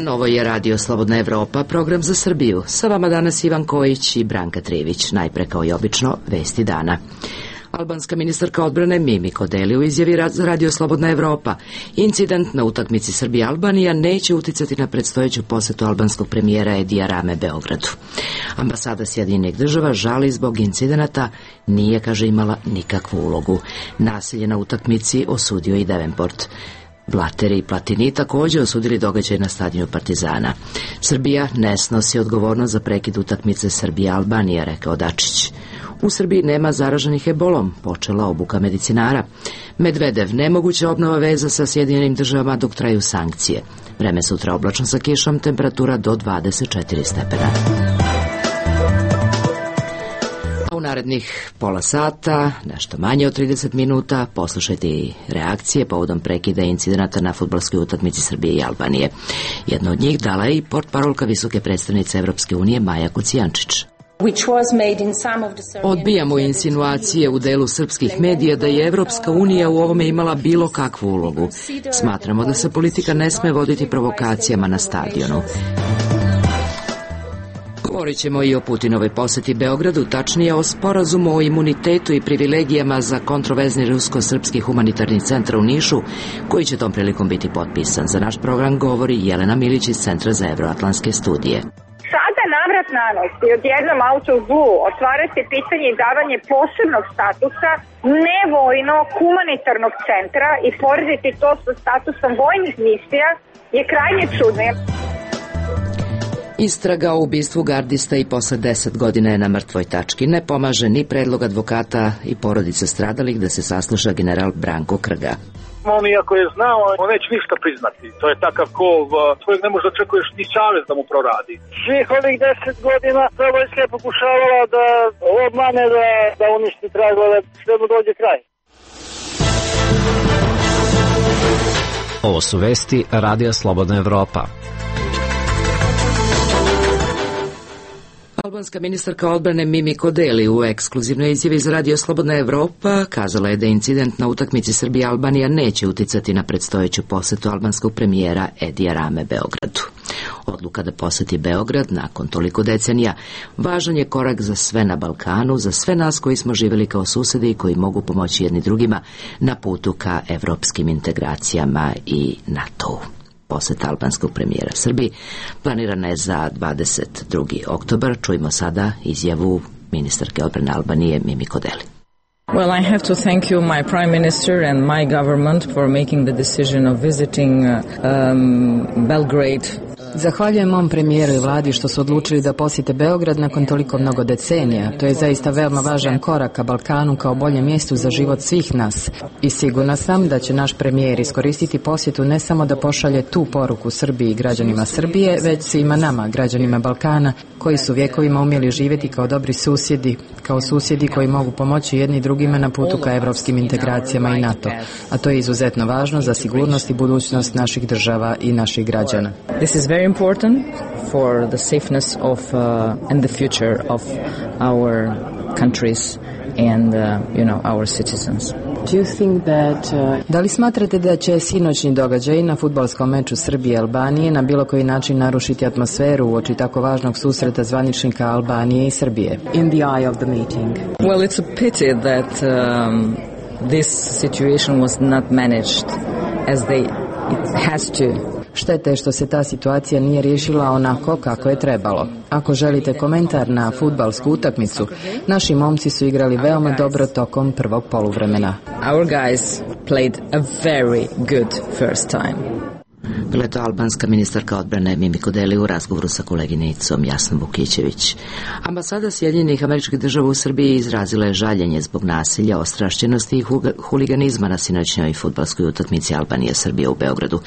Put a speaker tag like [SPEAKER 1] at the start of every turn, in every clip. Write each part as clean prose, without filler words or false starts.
[SPEAKER 1] dan, ovo je Radio Slobodna Evropa, program za Srbiju. Sa vama danas Ivan Kojić i Branka Trivić. Najpre kao i obično, vesti dana. Albanska ministarka odbrane Mimi Kodeli u izjavi za Radio Slobodna Evropa. Incident na utakmici Srbija-Albanija neće uticati na predstojeću posetu albanskog premijera Edija Rame Beogradu. Ambasada Sjedinjenih država žali zbog incidenata, nije, kaže, imala nikakvu ulogu. Nasilje na utakmici osudio i Davenport. Blateri i Platini također osudili događaj na stadionu Partizana. Srbija ne snosi odgovornost za prekid utakmice Srbija-Albanija, rekao Dačić. U Srbiji nema zaraženih ebolom, počela obuka medicinara. Medvedev, nemoguća obnova veza sa Sjedinjenim državama dok traju sankcije. Vreme sutra oblačno sa kišom, temperatura do 24 stepena. U narednih pola sata, nešto manje od 30 minuta, poslušajte i reakcije povodom prekida incidenata na fudbalskoj utakmici Srbije i Albanije. Jedno od njih dala je i portparolka visoke predstavnice Evropske unije Maja Kocijančić. Odbijamo insinuacije u delu srpskih medija da je Evropska unija u ovome imala bilo kakvu ulogu. Smatramo da se politika ne sme voditi provokacijama na stadionu. Govorit ćemo i o Putinovoj poseti Beogradu, tačnije o sporazumu o imunitetu i privilegijama za kontroverzni rusko-srpski humanitarni centar u Nišu, koji će tom prilikom biti potpisan. Za naš program govori Jelena Milić iz Centra za evroatlantske studije.
[SPEAKER 2] Sada navrat na nos i odjednom out of blue otvara se pitanje i davanje posebnog statusa nevojnog humanitarnog centra i porediti to sa statusom vojnih misija je krajnje čudno.
[SPEAKER 1] Istraga o ubistvu gardista i posle 10 godina je na mrtvoj tački. Ne pomaže ni predlog advokata i porodice stradalih da se sasluša general Branko Krga.
[SPEAKER 3] On iako je znao, on neće ništa priznati. To je takav kov, tvojeg ne možda očekuješ ni savez da mu proradi.
[SPEAKER 4] Svih ovih 10 godina vojska je pokušavala da obmane, da uništi tragove, sve mu dođe kraj.
[SPEAKER 5] Ovo su vesti Radija Slobodna Evropa.
[SPEAKER 1] Albanska ministarka odbrane Mimi Kodeli u ekskluzivnoj izjavi za Radio Slobodna Evropa kazala je da incident na utakmici Srbija-Albanija neće uticati na predstojeću posetu albanskog premijera Edija Rame Beogradu. Odluka da poseti Beograd nakon toliko decenija važan je korak za sve na Balkanu, za sve nas koji smo živjeli kao susedi i koji mogu pomoći jedni drugima na putu ka evropskim integracijama i NATO-u. Poseta albanskog premijera Srbiji planirana je za 22. oktobar. Čujmo sada izjavu ministarke odbrane Albanije Mimi Kodeli.
[SPEAKER 6] Well, I have to thank you, my Prime Minister and my government for making the decision of visiting Belgrade.
[SPEAKER 7] Zahvaljujem mom premijeru i vladi što su odlučili da posjete Beograd nakon toliko mnogo decenija. To je zaista veoma važan korak ka Balkanu kao boljem mjestu za život svih nas. I sigurna sam da će naš premijer iskoristiti posjetu ne samo da pošalje tu poruku Srbiji i građanima Srbije, već svima nama, građanima Balkana, koji su vjekovima umjeli živjeti kao dobri susjedi, kao susjedi koji mogu pomoći jedni drugima na putu ka evropskim integracijama i NATO. A to je izuzetno važno za sigurnost i budućnost naših država i naših građana.
[SPEAKER 6] This is very important for the safeness of and the future of our countries and our citizens.
[SPEAKER 7] Do you think that, Da li smatrate da će sinoćni događaj na fudbalskom meču Srbije i Albanije na bilo koji način narušiti atmosferu uoči tako važnog susreta zvaničnika Albanije i Srbije? In the eye of the meeting.
[SPEAKER 6] Well, it's a pity that this situation was not managed as it has to.
[SPEAKER 7] Štete je što se ta situacija nije riješila onako kako je trebalo. Ako želite komentar na fudbalsku utakmicu, naši momci su igrali veoma dobro tokom prvog poluvremena.
[SPEAKER 6] Our guys played a very good first time.
[SPEAKER 1] Bila je to albanska ministarka odbrane Mimi Kodeli u razgovoru sa koleginicom Jasnom Vukićević. Ambasada Sjedinjenih Američkih Država u Srbiji izrazila je žaljenje zbog nasilja, ostrašćenosti i huliganizma na sinoćnjoj fudbalskoj utakmici Albanije-Srbije u Beogradu.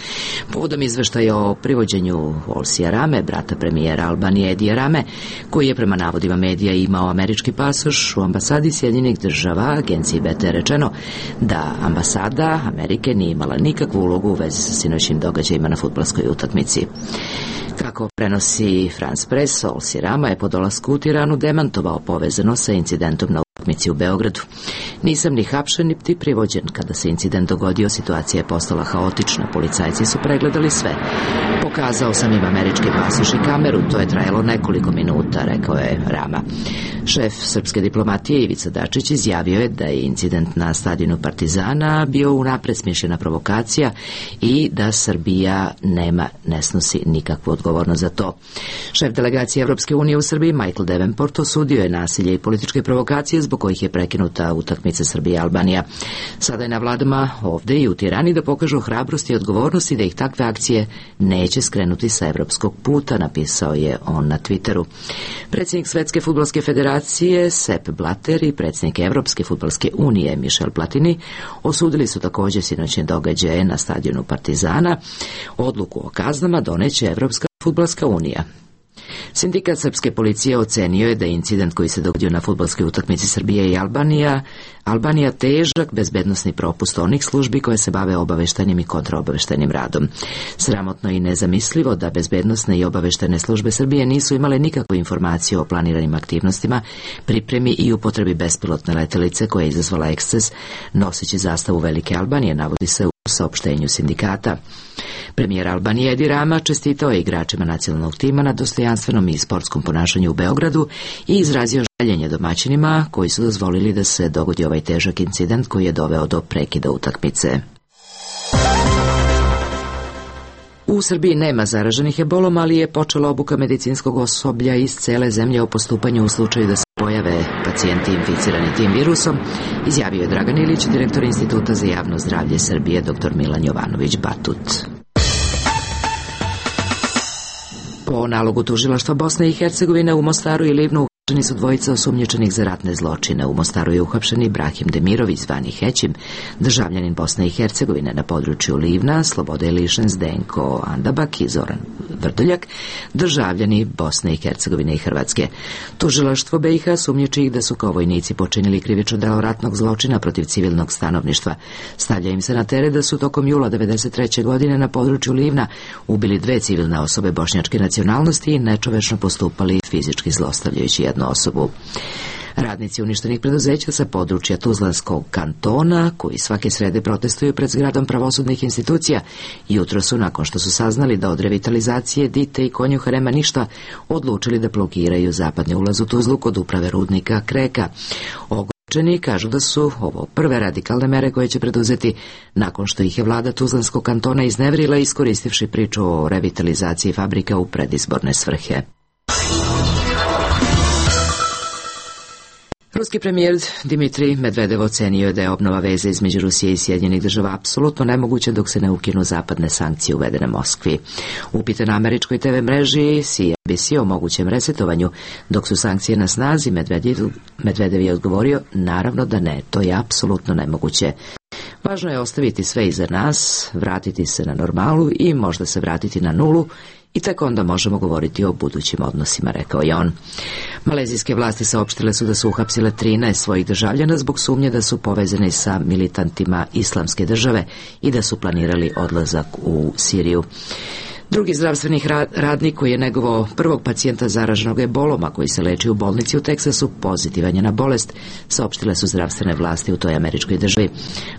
[SPEAKER 1] Povodom izveštaja o privođenju Olsija Rame, brata premijera Albanije Edija Rame, koji je prema navodima medija imao američki pasoš, u ambasadi Sjedinjenih Država agenciji BT rečeno da ambasada Amerike nije imala nikakvu ulogu u vezi sa sinoćnim događajima na fudbalskoj utakmici. Kako prenosi France Press, Olsi Rama je po dolasku u Tiranu demantovao povezano sa incidentom na utakmici u Beogradu. Nisam ni hapšen niti privođen. Kada se incident dogodio, situacija je postala haotična. Policajci su pregledali sve. Po Pokazao sam im američki pasoš i kameru, to je trajalo nekoliko minuta, rekao je Rama. Šef srpske diplomatije Ivica Dačić izjavio je da je incident na stadionu Partizana bio unapred smišljena provokacija i da Srbija ne snosi nikakvu odgovornost za to. Šef delegacije Evropske unije u Srbiji Michael Davenport osudio je nasilje i političke provokacije zbog kojih je prekinuta utakmica Srbije i Albanija. Sada je na vladama ovde i u Tirani da pokažu hrabrost i odgovornost i da ih takve akcije neće skrenuti sa evropskog puta, napisao je on na Twitteru. Predsjednik Svetske fudbalske federacije Sepp Blatter i predsjednik Evropske fudbalske unije Michel Platini osudili su također sinoćne događaje na stadionu Partizana. Odluku o kaznama doneće Evropska fudbalska unija. Sindikat srpske policije ocenio je da je incident koji se dogodio na fudbalskoj utakmici Srbije i Albanija težak bezbednosni propust onih službi koje se bave obaveštajnim i kontraobaveštajnim radom. Sramotno i nezamislivo da bezbednosne i obaveštajne službe Srbije nisu imale nikakvu informaciju o planiranim aktivnostima, pripremi i upotrebi bespilotne letelice koja je izazvala eksces noseći zastavu Velike Albanije, navodi se u saopštenju sindikata. Premijer Albanije Edi Rama čestitao je igračima nacionalnog tima na dostojanstvenom i sportskom ponašanju u Beogradu i izrazio žaljenje domaćinima koji su dozvolili da se dogodi ovaj težak incident koji je doveo do prekida utakmice. U Srbiji nema zaraženih ebolom, ali je počela obuka medicinskog osoblja iz cele zemlje o postupanju u slučaju da se pojave pacijenti inficirani tim virusom, izjavio je Dragan Ilić, direktor Instituta za javno zdravlje Srbije, dr. Milan Jovanović Batut. Po nalogu tužilaštva Bosne i Hercegovine u Mostaru i Livnu uhapšeni su dvojica osumnjičenih za ratne zločine. U Mostaru je uhapšen Ibrahim Demirović, zvani Hećim, državljanin Bosne i Hercegovine. Na području Livna slobode je lišen Zdenko Andabak i Zoran Vrdoljak, državljani Bosne i Hercegovine i Hrvatske. Tužilaštvo BiH sumnjiči ih da su kao vojnici počinili krivično delo ratnog zločina protiv civilnog stanovništva. Stavlja im se na teret da su tokom jula 1993. godine na području Livna ubili 2 civilne osobe bošnjačke nacionalnosti i nečovečno postupali fizički zlostavljajući jednu osobu. Radnici uništenih preduzeća sa područja Tuzlanskog kantona, koji svake srede protestuju pred zgradom pravosudnih institucija, jutro su, nakon što su saznali da od revitalizacije Dite i Konjuha nema ništa, odlučili da blokiraju zapadni ulaz u Tuzlu kod uprave rudnika Kreka. Ogorčeni kažu da su ovo prve radikalne mere koje će preduzeti nakon što ih je vlada Tuzlanskog kantona izneverila iskoristivši priču o revitalizaciji fabrika u predizborne svrhe. Ruski premijer Dmitrij Medvedev ocenio je da je obnova veze između Rusije i Sjedinjenih Država apsolutno nemoguća dok se ne ukinu zapadne sankcije uvedene Moskvi. Upitan na američkoj TV mreži CNBC o mogućem resetovanju dok su sankcije na snazi, Medvedev je odgovorio: naravno da ne, to je apsolutno nemoguće. Važno je ostaviti sve iza nas, vratiti se na normalu i možda se vratiti na nulu i tek onda možemo govoriti o budućim odnosima, rekao je on. Malezijske vlasti saopštile su da su uhapsile 13 svojih državljana zbog sumnje da su povezani sa militantima Islamske države i da su planirali odlazak u Siriju. Drugi zdravstveni radnik koji je negovao prvog pacijenta zaraženog ebolom, a koji se leči u bolnici u Teksasu, pozitivan je na bolest, saopštile su zdravstvene vlasti u toj američkoj državi.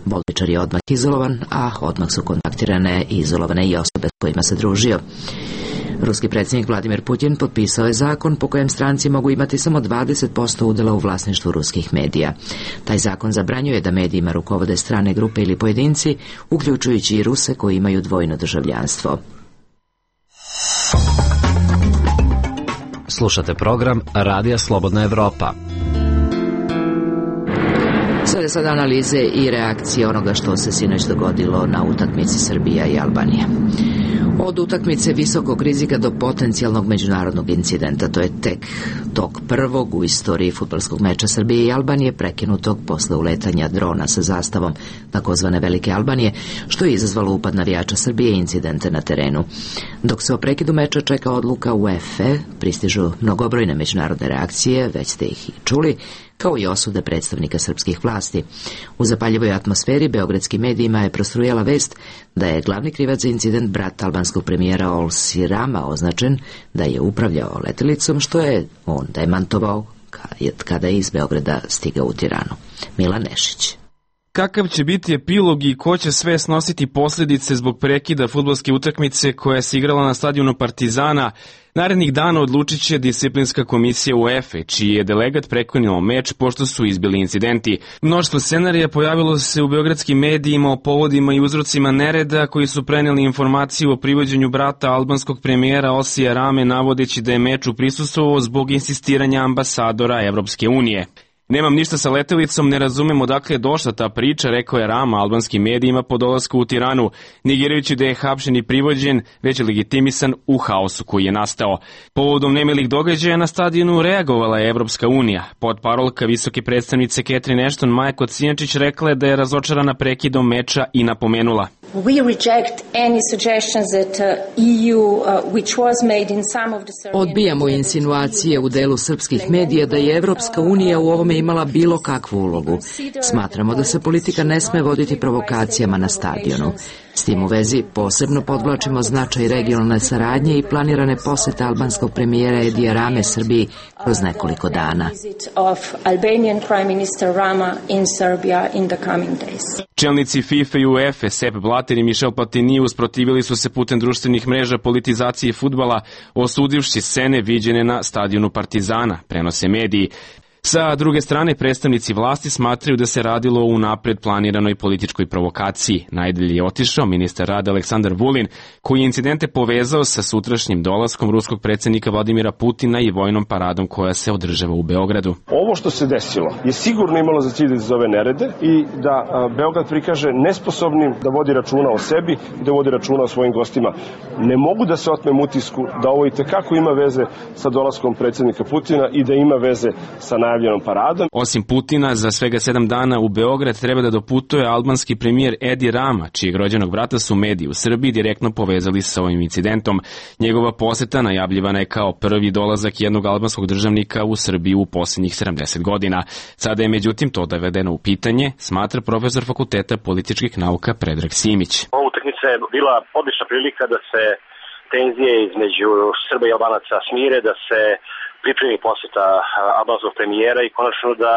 [SPEAKER 1] Bolničar je odmah izolovan, a odmah su kontaktirane i izolovane i osobe s kojima se družio. Ruski predsjednik Vladimir Putin potpisao je zakon po kojem stranci mogu imati samo 20% udjela u vlasništvu ruskih medija. Taj zakon zabranjuje da medijima rukovode strane grupe ili pojedinci, uključujući i Ruse koji imaju dvojno državljanstvo.
[SPEAKER 5] Slušate program Radija Slobodna Evropa.
[SPEAKER 1] Sada analize i reakcije onoga što se sinoć dogodilo na utakmici Srbija i Albanija. Od utakmice visokog rizika do potencijalnog međunarodnog incidenta, to je tek tog prvog u istoriji fudbalskog meča Srbije i Albanije prekinutog posle uletanja drona sa zastavom takozvane Velike Albanije, što je izazvalo upad navijača Srbije i incidente na terenu. Dok se o prekidu meča čeka odluka UEFA, pristižu mnogobrojne međunarodne reakcije, već ste ih i čuli, kao i osude predstavnika srpskih vlasti. U zapaljivoj atmosferi beogradskim medijima je prostrujala vest da je glavni krivac za incident brat albanskog premijera Olsi Rama označen da je upravljao letjelicom, što je on demantovao kada je iz Beograda stigao u Tiranu. Milan Nešić.
[SPEAKER 8] kakav će biti epilog i ko će sve snositi posljedice zbog prekida fudbalske utakmice koja se igrala na stadionu Partizana, narednih dana odlučit će disciplinska komisija UEFA, čiji je delegat prekinuo meč pošto su izbili incidenti. Mnoštvo scenarija pojavilo se u beogradskim medijima o povodima i uzrocima nereda koji su preneli informaciju o privođenju brata albanskog premijera Osija Rame navodeći da je meču prisustvovao zbog insistiranja ambasadora Evropske unije. Nemam ništa sa letelicom, ne razumem odakle je došla ta priča, rekao je Rama albanskim medijima po dolasku u Tiranu, negirajući da je hapšen i privođen, već je legitimisan u haosu koji je nastao. Povodom nemilih događaja na stadionu reagovala je Evropska unija. Potparolka visoke predstavnice Catherine Ashton Maja Kocijančić rekla je da je razočarana prekidom meča i napomenula:
[SPEAKER 1] Odbijamo insinuacije u delu srpskih medija da je Evropska unija u ovome imala bilo kakvu ulogu. Smatramo da se politika ne sme voditi provokacijama na stadionu. S tim u vezi posebno podvlačimo značaj regionalne saradnje i planirane posete albanskog premijera Edija Rame Srbiji kroz nekoliko dana.
[SPEAKER 8] Čelnici FIFA i UEFA, Sepp Blatter i Michel Platini usprotivili su se putem društvenih mreža politizaciji fudbala, osudivši scene viđene na stadionu Partizana, prenose mediji. Sa druge strane, predstavnici vlasti smatraju da se radilo o unapred planiranoj političkoj provokaciji. Najdalje je otišao ministar rada Aleksandar Vulin, koji je incidente povezao sa sutrašnjim dolaskom ruskog predsjednika Vladimira Putina i vojnom paradom koja se održava u Beogradu.
[SPEAKER 9] Ovo što se desilo je sigurno imalo za cilj da izazove nerede i da Beograd prikaže nesposobnim da vodi računa o sebi i da vodi računa o svojim gostima. Ne mogu da se otmem utisku da ovo itekako ima veze sa dolaskom predsjednika Putina i da ima veze sa najavljenom paradom.
[SPEAKER 8] Osim Putina, za svega 7 dana u Beograd treba da doputuje albanski premijer Edi Rama, čijeg rođenog brata su mediji u Srbiji direktno povezali sa ovim incidentom. Njegova poseta najavljivana je kao prvi dolazak jednog albanskog državnika u Srbiju u posljednjih 70 godina. Sada je međutim to dovedeno u pitanje, smatra profesor Fakulteta političkih nauka Predrag Simić.
[SPEAKER 10] Ova utakmica je bila odlična prilika da se tenzije između Srba i Albanaca smire, da se pripremi posjeta albanskog premijera i konačno da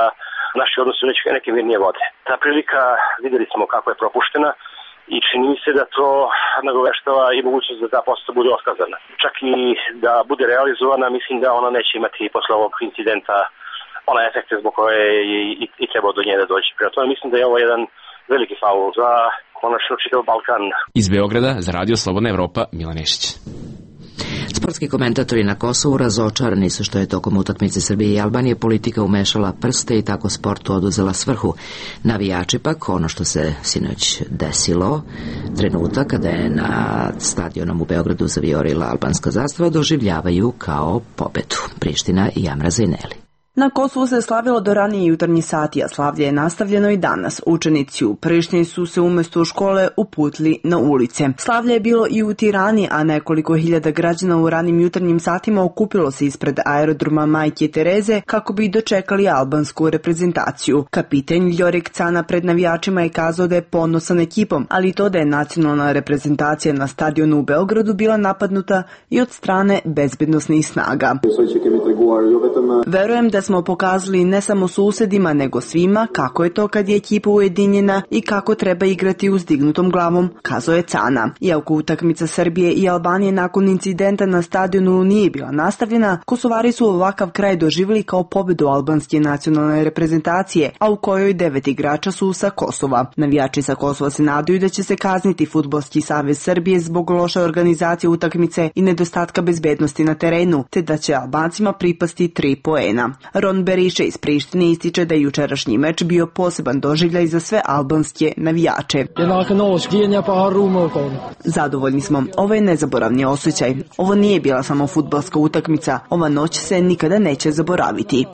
[SPEAKER 10] naši odnosi u neke mirnije vode. Ta prilika, vidjeli smo kako je propuštena i čini mi se da to nagoveštava i mogućnost da ta posjeta bude otkazana. Čak i da bude realizovana, mislim da ona neće imati posle ovog incidenta ona efekte zbog koje i treba do nje da dođe. Prema tome mislim da je ovo jedan veliki faul za konačno čitav Balkan.
[SPEAKER 8] Iz Beograda za Radio Slobodna Evropa, Milan Nešić.
[SPEAKER 1] Sportski komentatori na Kosovu razočarani su što je tokom utakmice Srbije i Albanije politika umešala prste i tako sportu oduzela svrhu. Navijači pak, ono što se sinoć desilo, trenutak kada je na stadionom u Beogradu zavijorila albanska zastava, doživljavaju kao pobedu. Priština i Amra Zajneli.
[SPEAKER 11] Na Kosovu se slavilo do ranije jutarnji sati, a slavlje je nastavljeno i danas. Učenici u Prištini su se umjesto u škole uputili na ulice. Slavlje je bilo i u Tirani, a nekoliko hiljada građana u ranim jutarnjim satima okupilo se ispred aerodroma Majke Tereze kako bi dočekali albansku reprezentaciju. Kapiten Ljorik Cana pred navijačima je kazao da je ponosan ekipom, ali i to da je nacionalna reprezentacija na stadionu u Beogradu bila napadnuta i od strane bezbednosnih snaga. Verujem da smo pokazali ne samo susedima, nego svima kako je to kad je ekipa ujedinjena i kako treba igrati uzdignutom glavom, kazao je Cana. Iako utakmica Srbije i Albanije nakon incidenta na stadionu nije bila nastavljena, Kosovari su ovakav kraj doživjeli kao pobedu albanske nacionalne reprezentacije, a u kojoj 9 igrača su sa Kosova. Navijači sa Kosova se nadaju da će se kazniti Fudbalski savez Srbije zbog loše organizacije utakmice i nedostatka bezbednosti na terenu, te da će Albancima pripasti 3 poena. Ron Beriše iz Prištine ističe da je jučerašnji meč bio poseban doživljaj za sve albanske navijače. Zadovoljni smo. Ovo je nezaboravni osjećaj. Ovo nije bila samo fudbalska utakmica. Ova noć se nikada neće zaboraviti.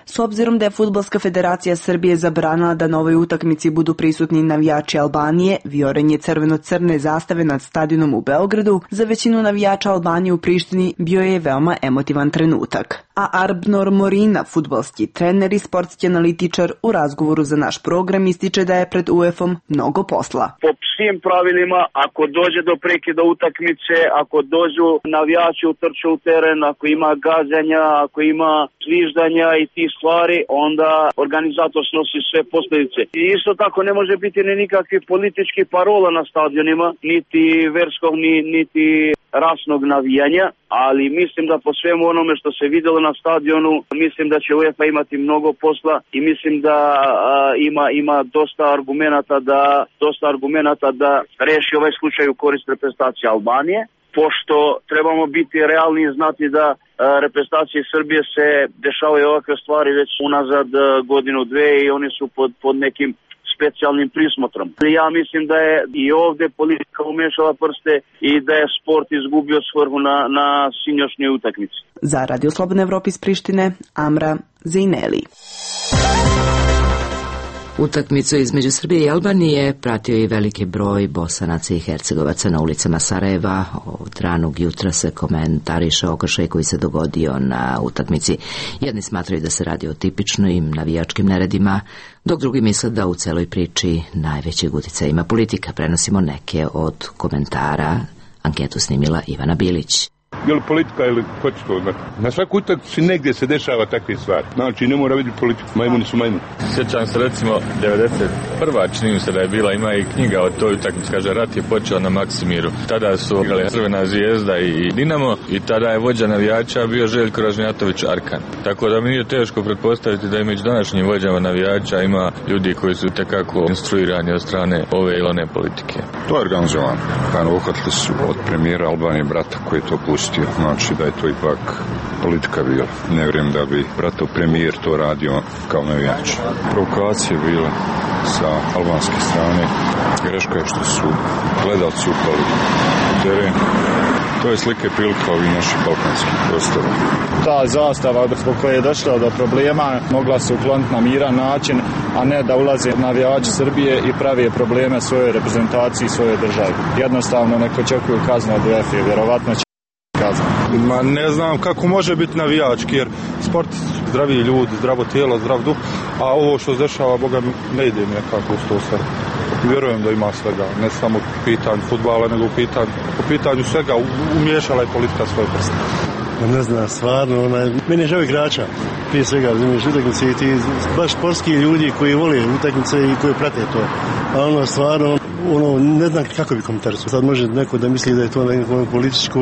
[SPEAKER 11] S obzirom da je Fudbalska federacija Srbije zabranila da na ovoj utakmici budu prisutni navijači Albanije, vijorenje crveno-crne zastave nad stadionom u Beogradu za većinu navijača Albanije u Prištini bio je veoma emotivan trenutak. A Arbnor Morina, fudbalski trener i sportski analitičar, u razgovoru za naš program ističe da je pred UEFA-om mnogo posla.
[SPEAKER 4] Po svim pravilima, ako dođe do prekida utakmice, ako dođu navijači utrču u teren, ako ima gađanja, ako ima zviždanja i ti stvari, onda organizator snosi sve posljedice. I isto tako ne može biti ni nikakvih političkih parola na stadionima, niti verskog, niti rasnog navijanja, ali mislim da po svemu onome što se vidjelo na stadionu, mislim da će UEFA imati mnogo posla i mislim da ima dosta argumenata da reši ovaj slučaj u korist reprezentacije Albanije, pošto trebamo biti realni i znati da reprezentacije Srbije se dešavaju ovakve stvari već unazad godinu, dve i oni su pod nekim specijalnim prismotrom. Ja mislim da je i ovdje politika umešala prste i da je sport izgubio svrhu na sinoćnjoj utakmici.
[SPEAKER 11] Za Radio Slobodna Evropa iz Prištine, Amra Zejneli.
[SPEAKER 1] Utakmicu između Srbije i Albanije pratio i veliki broj Bosanaca i Hercegovaca na ulicama Sarajeva. Od ranog jutra se komentariše okršaj koji se dogodio na utakmici. Jedni smatraju da se radi o tipičnim navijačkim neredima, dok drugi misle da u celoj priči najvećeg uticaja ima politika. Prenosimo neke od komentara. Anketu snimila Ivana Bilić.
[SPEAKER 12] Ili politika ili ko će to znati. Na svaku utakmicu negdje se dešava takve stvari. Znači ne mora vidjeti politiku, majmuni su majmuni.
[SPEAKER 13] Sjećam se recimo 91. čini mi se da je bila, ima i knjiga o toj utakmici, kaže rat je počeo na Maksimiru. Tada su igrali Crvena zvijezda i Dinamo i tada je vođa navijača bio Željko Ražnjatović Arkan. Tako da mi nije teško pretpostaviti da i među današnjim vođama navijača ima ljudi koji su tekako instruirani od strane ove ili one politike.
[SPEAKER 14] To je organizovano. Uhvatili su od premijera Albanije brata koji je to pustio. Znači da je to ipak politika bila. Ne vjerujem da bi bratov premijer to radio kao navijač. Provokacije bile sa albanske strane. Greška je što su gledalci upali u teren. To je slike prilika ovih naših balkanskih prostora.
[SPEAKER 15] Ta zastava zbog koje je došlo do problema mogla se ukloniti na miran način, a ne da ulaze navijači Srbije i pravi probleme svojoj reprezentaciji i svojoj državi. Jednostavno neko očekuju kaznu od UEFA, vjerovatno će kaznu.
[SPEAKER 12] Ma ne znam kako može biti navijački, jer sport zdravi ljudi, zdravo tijelo, zdrav duh, a ovo što se dešava, Boga ne ide mi nekako uz to sve. Vjerujem da ima svega, ne samo u pitanju fudbala, nego u pitanju svega, umiješala je politika svoje prste.
[SPEAKER 16] Ne znam, stvarno, meni je žao igrača, prije svega, razumiješ, utakmice i ti baš sportski ljudi koji vole utakmice i koji prate to. A stvarno, ne znam kako bi komentarisao. Sad može neko da misli da je to neko političko,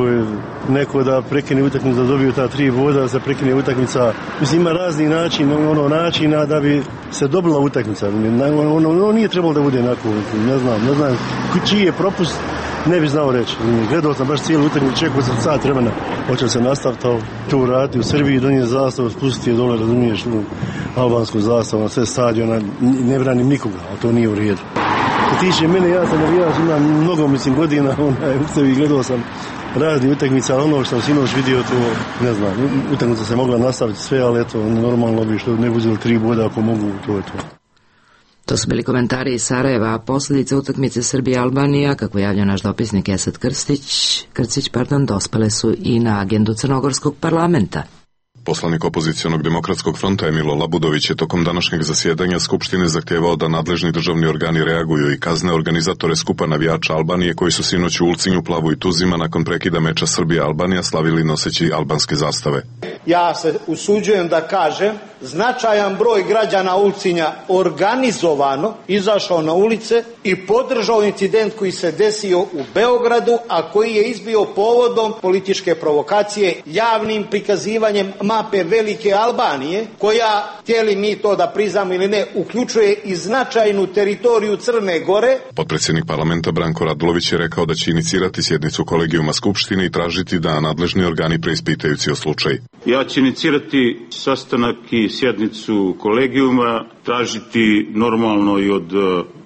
[SPEAKER 16] neko da prekine utakmicu, da dobiju ta 3 boda, da se prekine utakmica. Mislim, ima razni načina da bi se dobila utakmica. Nije trebalo da bude onako, ne znam, čiji je propust, ne bi znao reći. Gledao sam baš cijelu utakmicu, čekao sam sat vremena, hoće se nastaviti to raditi u Srbiji, donije zastavu, spustiti je dole, razumiješ, albansku zastavu na sve stadiona, ne branim nikoga, ali to nije u redu. Što tiče mene, ja sam navijač, imam mnogo, godina, u sebi gledao sam razni utakmica, ali ono što sam sinoć vidio, to ne znam, utakmica se mogla nastaviti sve, ali eto, normalno bi što ne uzeli 3 boda ako mogu, to je to.
[SPEAKER 1] To su bili komentari iz Sarajeva. Posljedice utakmice Srbija-Albanija, kako javlja naš dopisnik Esad Krcić, dospele su i na agendu Crnogorskog parlamenta.
[SPEAKER 17] Poslanik opozicionog demokratskog fronta Emilo Labudović je tokom današnjeg zasjedanja Skupštine zahtjevao da nadležni državni organi reaguju i kazne organizatore skupa navijača Albanije koji su sinoć u Ulcinju, Plavu i Tuzima nakon prekida meča Srbija-Albanija slavili noseći albanske zastave.
[SPEAKER 18] Ja se usuđujem da kažem, značajan broj građana Ulcinja organizovano izašao na ulice i podržao incident koji se desio u Beogradu, a koji je izbio povodom političke provokacije javnim prikazivanjem mape Velike Albanije, koja, htjeli mi to da priznamo ili ne, uključuje i značajnu teritoriju Crne Gore.
[SPEAKER 17] Potpredsjednik parlamenta Branko Radulović je rekao da će inicirati sjednicu kolegijuma Skupštine i tražiti da nadležni organi preispitaju cijel slučaj.
[SPEAKER 19] Ja ću inicirati sastanak i sjednicu kolegijuma, tražiti normalno i od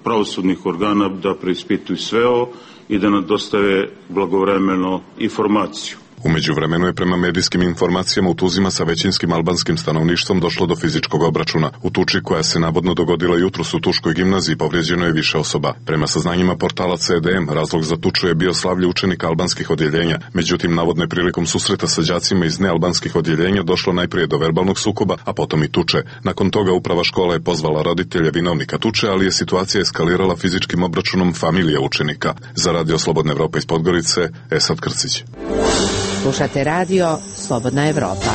[SPEAKER 19] pravosudnih organa da preispituju sve ovo i da nam dostave blagovremeno informaciju.
[SPEAKER 17] U međuvremenu je prema medijskim informacijama u Tuzima sa većinskim albanskim stanovništvom došlo do fizičkog obračuna. U tuči koja se navodno dogodila jutros u Tuškoj gimnaziji povrijeđeno je više osoba. Prema saznanjima portala CDM, razlog za tuču je bio slavlje učenika albanskih odjeljenja. Međutim, navodno je prilikom susreta sa đacima iz nealbanskih odjeljenja došlo najprije do verbalnog sukoba, a potom i tuče. Nakon toga uprava škola je pozvala roditelje vinovnika tuče, ali je situacija eskalirala fizičkim obračunom familije učenika. Za Radio Slobodna Evropa iz Podgorice, Esad Krcić.
[SPEAKER 1] Slušate radio Slobodna Evropa.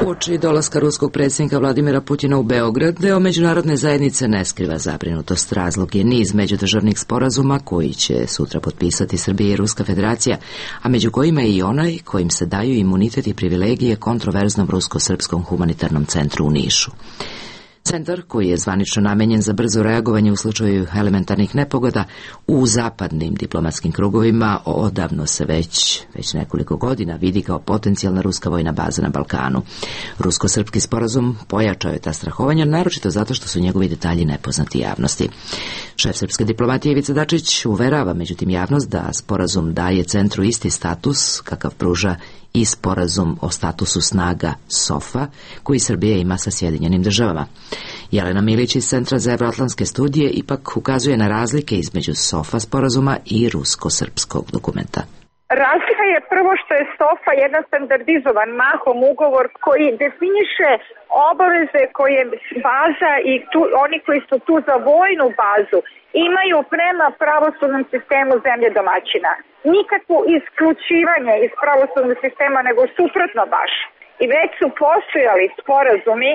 [SPEAKER 1] Uoči dolaska ruskog predsjednika Vladimira Putina u Beograd, deo međunarodne zajednice ne skriva zabrinutost. Razlog je niz međudržavnih sporazuma koji će sutra potpisati Srbija i Ruska federacija, a među kojima je i onaj kojim se daju imunitet i privilegije kontroverznom rusko-srpskom humanitarnom centru u Nišu. Centar, koji je zvanično namenjen za brzo reagovanje u slučaju elementarnih nepogoda, u zapadnim diplomatskim krugovima odavno se već nekoliko godina vidi kao potencijalna ruska vojna baza na Balkanu. Rusko-srpski sporazum pojačao je ta strahovanja, naročito zato što su njegovi detalji nepoznati javnosti. Šef srpske diplomatije Ivica Dačić uverava međutim javnost da sporazum daje centru isti status kakav pruža i sporazum o statusu snaga SOFA koji Srbija ima sa Sjedinjenim državama. Jelena Milić iz Centra za evroatlantske studije ipak ukazuje na razlike između SOFA sporazuma i rusko-srpskog dokumenta.
[SPEAKER 2] Razlika je prvo što je SOFA jedan standardizovan mahom ugovor koji definiše obaveze koje baza i oni koji su tu za vojnu bazu imaju prema pravosudnom sistemu zemlje domaćina. Nikakvo isključivanje iz pravosudnog sistema, nego suprotno baš. I već su postojali sporazumi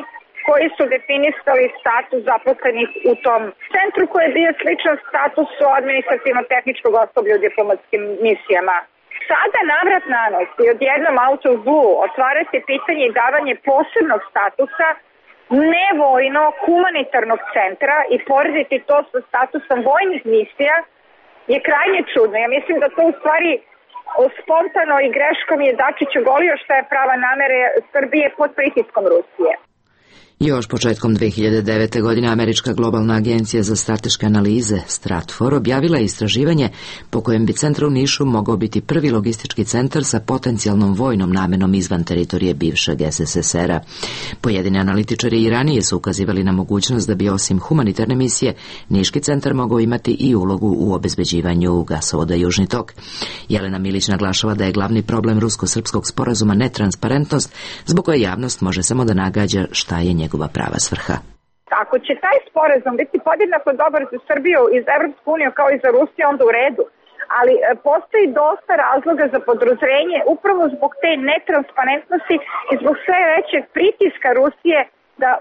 [SPEAKER 2] koji su definisali status zaposlenih u tom centru koji je bio sličan statusu administrativno-tehničkog osoblja u diplomatskim misijama. Sada navrat na nos i odjednom out of blue otvarati pitanje i davanje posebnog statusa nevojno humanitarnog centra i porediti to sa statusom vojnih misija je krajnje čudno. Ja mislim da to u stvari spontano i greškom je Dačić ogolio šta je prava namere Srbije pod pritiskom Rusije.
[SPEAKER 1] Još početkom 2009. godine Američka globalna agencija za strateške analize Stratfor objavila je istraživanje po kojem bi centar u Nišu mogao biti prvi logistički centar sa potencijalnom vojnom namenom izvan teritorije bivšeg SSSR-a. Pojedini analitičari i ranije su ukazivali na mogućnost da bi osim humanitarne misije Niški centar mogao imati i ulogu u obezbeđivanju gasovoda Južni tok. Jelena Milić naglašava da je glavni problem rusko-srpskog sporazuma netransparentnost, zbog koje javnost može samo da nagađa šta je njegova prava svrha.
[SPEAKER 2] Ako će taj sporazum biti podjednako dobar za Srbiju i za Evropsku uniju kao i za Rusiju, onda u redu. Ali postoji dosta razloga za podozrenje upravo zbog te netransparentnosti i zbog sve većeg pritiska Rusije da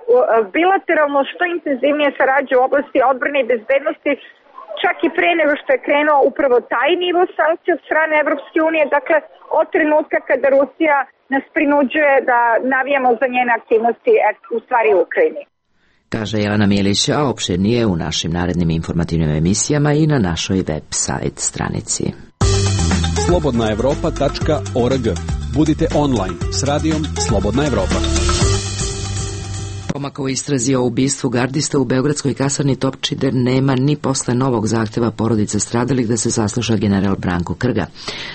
[SPEAKER 2] bilateralno što intenzivnije sarađuje u oblasti odbrane i bezbednosti, čak i pre nego što je krenuo upravo taj nivo sankcija od strane Evropske unije, dakle od trenutka kada Rusija nas prinuđuje da navijamo za njene aktivnosti u stvari u Ukrajini.
[SPEAKER 1] Kaže Jelena Milić, a opširnije u našim narednim informativnim emisijama i na našoj web-sajt stranici.
[SPEAKER 5] slobodnaevropa.org. Budite online s radijom Slobodna Evropa.
[SPEAKER 1] Pomaka u istrazi o ubistvu gardista u beogradskoj kasarni Topčider nema ni posle novog zahteva porodice stradalih da se sasluša general Branko Krga.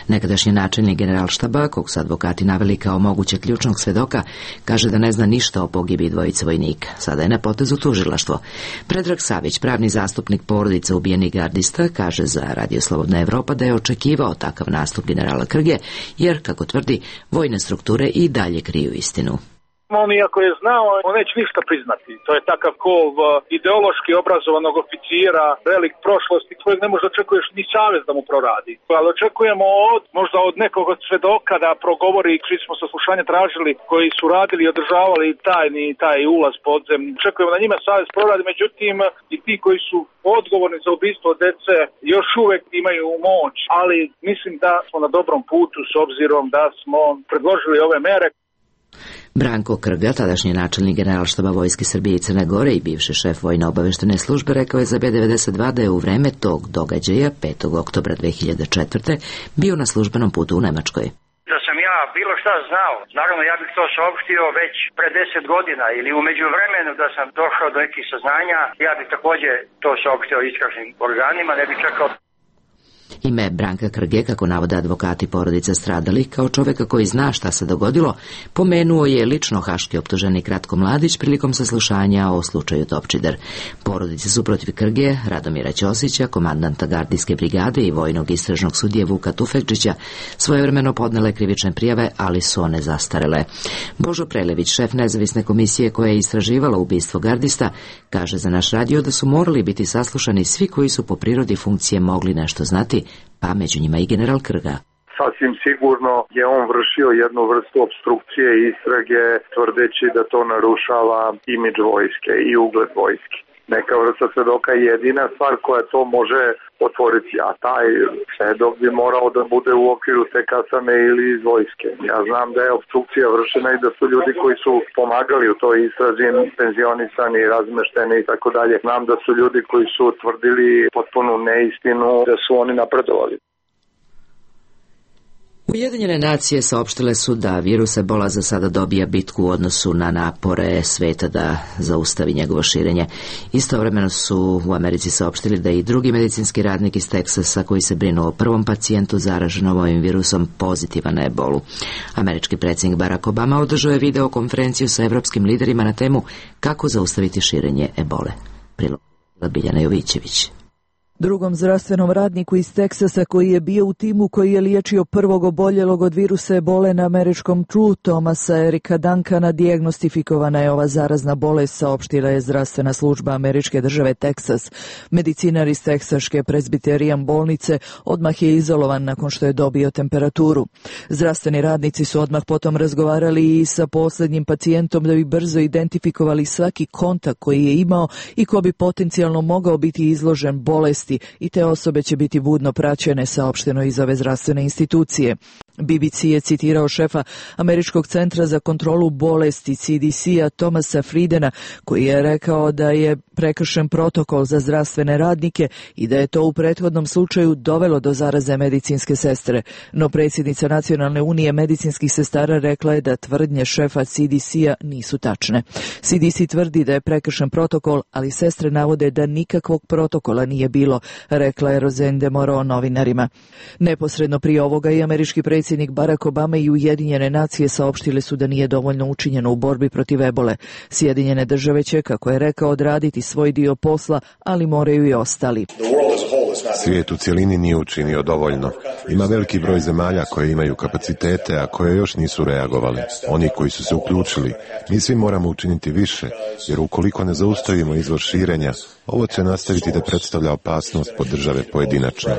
[SPEAKER 1] Nekadašnji načelnik generalštaba, kog su advokati naveli kao moguće ključnog svedoka, kaže da ne zna ništa o pogibi dvojice vojnika. Sada je na potezu tužilaštvo. Predrag Savić, pravni zastupnik porodice ubijenih gardista, kaže za Radio Slobodna Evropa da je očekivao takav nastup generala Krge, jer, kako tvrdi, vojne strukture i dalje kriju istinu.
[SPEAKER 3] On iako je znao, on neće ništa priznati. To je takav kov ideološki obrazovanog oficira, velik prošlosti, kojeg ne možda očekuješ ni savez da mu proradi. Ali očekujemo možda od nekog od svedoka da progovori, svi smo saslušanje tražili, koji su radili i održavali taj ulaz podzemni. Očekujemo da njima savez proradi, međutim i ti koji su odgovorni za ubistvo dece još uvek imaju moć, ali mislim da smo na dobrom putu s obzirom da smo predložili ove mere.
[SPEAKER 1] Branko Krga, tadašnji načelnik generalštaba Vojske Srbije i Crne Gore i bivši šef vojno-obaveštene službe, rekao je za B92 da je u vreme tog događaja 5. oktobra 2004. bio na službenom putu u Nemačkoj.
[SPEAKER 20] Da sam ja bilo šta znao, naravno ja bih to saopštio već pre 10 godina ili u međuvremenu da sam došao do nekih saznanja, ja bih takođe to saopštio istražnim organima, ne bih čekao.
[SPEAKER 1] Ime Branka Krge, kako navode advokati porodice stradalih, kao čoveka koji zna šta se dogodilo, pomenuo je lično haški optuženik Ratko Mladić prilikom saslušanja o slučaju Topčider. Porodice su protiv Krge, Radomira Ćosića, komandanta gardijske brigade i vojnog istražnog sudije Vuka Tufekčića svojevremeno podnele krivične prijave, ali su one zastarele. Božo Prelević, šef nezavisne komisije koja je istraživala ubistvo gardista, kaže za naš radio da su morali biti saslušani svi koji su po prirodi funkcije mogli nešto znati, pa među njima i general Krga.
[SPEAKER 21] Sasvim sigurno je on vršio jednu vrstu opstrukcije istrage tvrdeći da to narušava imidž vojske i ugled vojske. Neka vrsta svedoka je jedina stvar koja to može otvoriti, a taj svedok bi morao da bude u okviru te kasarne ili iz vojske. Ja znam da je opstrukcija vršena i da su ljudi koji su pomagali u toj istrazi penzionisani, razmešteni i tako dalje. Znam da su ljudi koji su tvrdili potpunu neistinu, da su oni napredovali.
[SPEAKER 1] Ujedinjene nacije saopštile su da virus ebola za sada dobija bitku u odnosu na napore sveta da zaustavi njegovo širenje. Istovremeno su u Americi saopštili da i drugi medicinski radnik iz Teksasa koji se brinu o prvom pacijentu zaraženom ovim virusom pozitivan na ebolu. Američki predsjednik Barack Obama održao je videokonferenciju sa evropskim liderima na temu kako zaustaviti širenje ebole. Prilog Biljana Jovićević.
[SPEAKER 22] Drugom zdravstvenom radniku iz Teksasa koji je bio u timu koji je liječio prvog oboljelog od virusa ebole na američkom tlu, Thomasa Erika Duncana, dijagnostifikovana je ova zarazna bolest, saopštila je zdravstvena služba američke države Teksas. Medicinar iz teksaške Presbiterijan bolnice odmah je izolovan nakon što je dobio temperaturu. Zdravstveni radnici su odmah potom razgovarali i sa posljednjim pacijentom da bi brzo identifikovali svaki kontakt koji je imao i ko bi potencijalno mogao biti izložen bolesti, i te osobe će biti budno praćene, saopšteno iz ove zdravstvene institucije. BBC je citirao šefa Američkog centra za kontrolu bolesti CDC-a Thomasa Friedena, koji je rekao da je prekršen protokol za zdravstvene radnike i da je to u prethodnom slučaju dovelo do zaraze medicinske sestre. No predsjednica Nacionalne unije medicinskih sestara rekla je da tvrdnje šefa CDC-a nisu tačne. CDC tvrdi da je prekršen protokol, ali sestre navode da nikakvog protokola nije bilo, rekla je Roseanne DeMoro novinarima. Neposredno prije ovoga i američki predsjednik Barack Obama i Ujedinjene nacije saopštile su da nije dovoljno učinjeno u borbi protiv ebole. Sjedinjene države će, kako je rekao, odraditi svoj dio posla, ali moraju i ostali.
[SPEAKER 23] Svijet u cjelini nije učinio dovoljno. Ima veliki broj zemalja koje imaju kapacitete, a koje još nisu reagovali. Oni koji su se uključili, mi svi moramo učiniti više, jer ukoliko ne zaustavimo izvor širenja, ovo će nastaviti da predstavlja opasnost po države pojedinačno.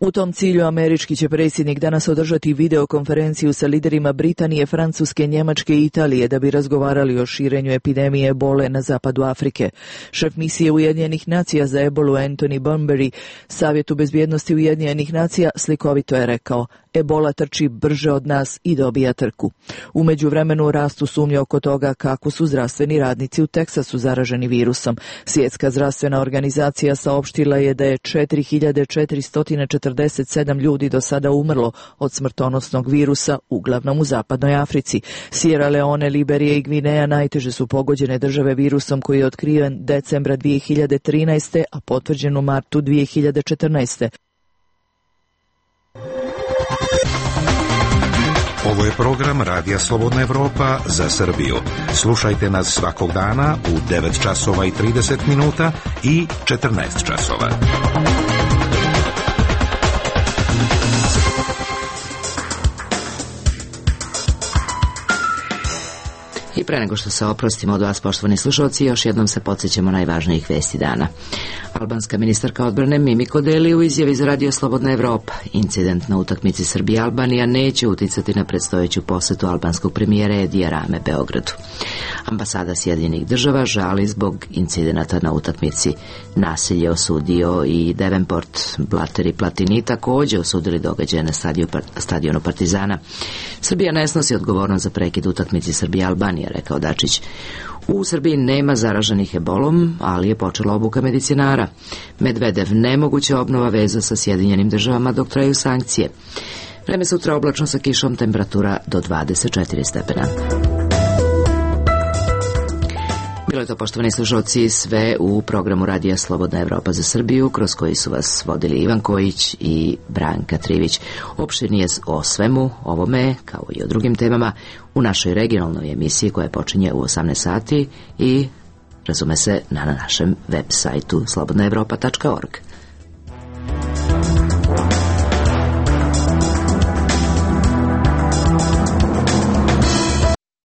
[SPEAKER 22] U tom cilju američki će predsjednik danas održati videokonferenciju sa liderima Britanije, Francuske, Njemačke i Italije da bi razgovarali o širenju epidemije ebole na zapadu Afrike. Šef misije Ujedinjenih nacija za ebolu Anthony Bunbury Savjetu bezbjednosti Ujedinjenih nacija slikovito je rekao: ebola trči brže od nas i dobija trku. U međuvremenu rastu sumnje oko toga kako su zdravstveni radnici u Teksasu zaraženi virusom. Svjetska zdravstvena organizacija saopštila je da je 4447 ljudi do sada umrlo od smrtonosnog virusa, uglavnom u zapadnoj Africi. Sierra Leone, Liberija i Gvineja najteže su pogođene države virusom koji je otkriven decembra 2013. a potvrđen u martu 2014.
[SPEAKER 24] Ovo je program Radija Slobodna Evropa za Srbiju. Slušajte nas svakog dana u 9 časova i 30 minuta i 14 časova.
[SPEAKER 1] I pre nego što se oprostimo od vas, poštovani slušalci, još jednom se podsjećamo najvažnijih vesti dana. Albanska ministarka odbrane Mimiko Deli u izjavi za Radio Slobodna Evropa: incident na utakmici Srbija-Albanija neće uticati na predstojeću posetu albanskog premijera Edija Rame Beogradu. Ambasada Sjedinjenih država žali zbog incidenata na utakmici. Nasilje osudio i Davenport. Blatter i Platini također osudili događaje na stadionu Partizana. Srbija ne snosi odgovornost za prekid utakmici Srbija-Albanija, rekao Dačić. U Srbiji nema zaraženih ebolom, ali je počela obuka medicinara. Medvedev: nemoguća obnova veza sa Sjedinjenim državama dok traju sankcije. Vreme sutra oblačno sa kišom, temperatura do 24 stepena. Bilo je to, poštovani slušalci, sve u programu Radija Slobodna Evropa za Srbiju, kroz koji su vas vodili Ivan Kojić i Branka Trivić. Opširnije o svemu ovome, kao i o drugim temama, u našoj regionalnoj emisiji koja počinje u 18 sati i razume se na našem web sajtu slobodnaevropa.org.